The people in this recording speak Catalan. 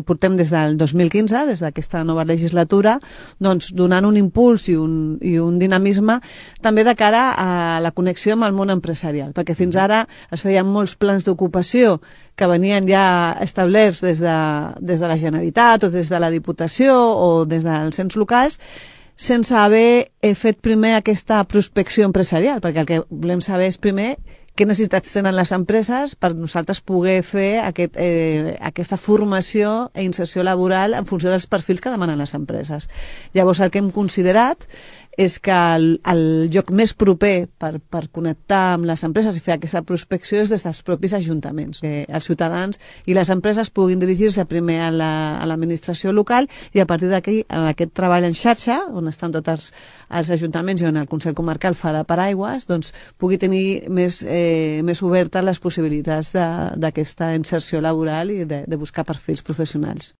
Portem des del 2015, des d'aquesta nova legislatura, doncs, donant un impuls i un dinamisme també de cara a la connexió amb el món empresarial, perquè fins ara es feien molts plans d'ocupació que venien ja establerts des de la Generalitat o des de la Diputació o des dels ens locals, sense haver fet primer aquesta prospecció empresarial, perquè el que volem saber és primer què necessitats tenen les empreses per nosaltres poder fer aquesta formació i inserció laboral en funció dels perfils que demanen les empreses. Llavors, el que hem considerat és que el lloc més proper per connectar amb les empreses i fer aquesta prospecció és des dels propis ajuntaments, que els ciutadans i les empreses puguin dirigir-se primer a l'administració local i a partir d'aquí, en aquest treball en xarxa, on estan tots els ajuntaments i on el Consell Comarcal fa de paraigües, doncs pugui tenir més obertes les possibilitats d'aquesta inserció laboral i de buscar perfils professionals.